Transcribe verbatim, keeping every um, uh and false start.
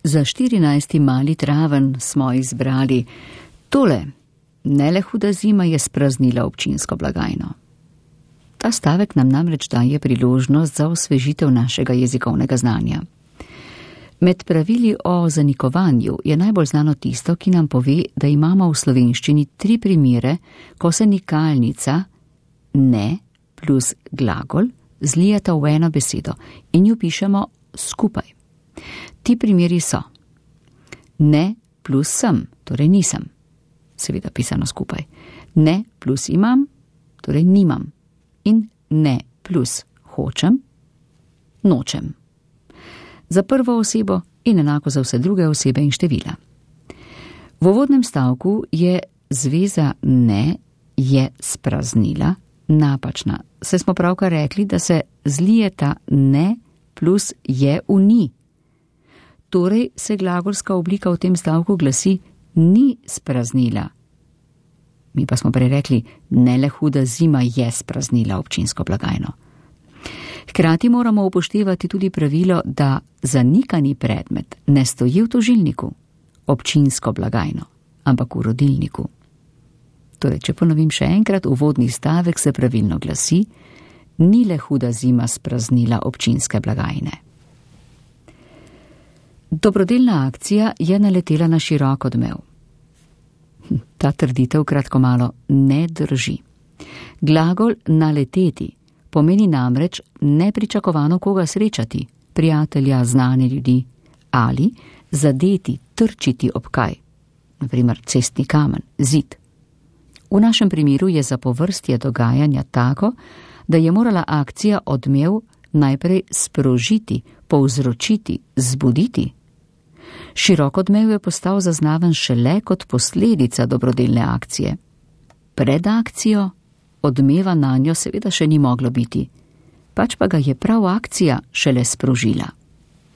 Za štirinajsti mali traven smo izbrali tole. Ne le huda zima je spraznila občinsko blagajno. Ta stavek nam namreč daje priložnost za osvežitev našega jezikovnega znanja. Med pravili o zanikovanju je najbolj znano tisto, ki nam pove, da imamo v slovenščini tri primere, ko se nikalnica ne plus glagol zlijeta v eno besedo in jo pišemo skupaj. Ti primeri so ne plus sem, torej nisem, seveda pisano skupaj, ne plus imam, torej nimam, in ne plus hočem, nočem. Za prvo osebo in enako za vse druge osebe in števila. V uvodnem stavku je zveza ne je spraznila napačna. Saj smo pravkar rekli, da se zlijeta ne plus je v ni. Torej se glagolska oblika v tem stavku glasi ni spraznila. Mi pa smo prej rekli, ne le huda zima je spraznila občinsko blagajno. Hkrati moramo upoštevati tudi pravilo, da zanikani predmet ne stoji v tožilniku, občinsko blagajno, ampak v rodilniku. Torej, če ponovim še enkrat, uvodni stavek se pravilno glasi, ni le huda zima spraznila občinske blagajne. Dobrodelna akcija je naletela na širok odmev. Ta trditev kratko malo ne drži. Glagol naleteti pomeni namreč nepričakovano koga srečati, prijatelja, znane ljudi, ali zadeti, trčiti ob kaj, naprimer cestni kamen, zid. V našem primeru je zapovrstje dogajanja tako, da je morala akcija odmev najprej sprožiti, povzročiti, zbuditi. Širok odmev je postal zaznaven šele kot posledica dobrodelne akcije. Pred akcijo odmeva nanjo seveda še ni moglo biti, pač pa ga je prav akcija šele sprožila.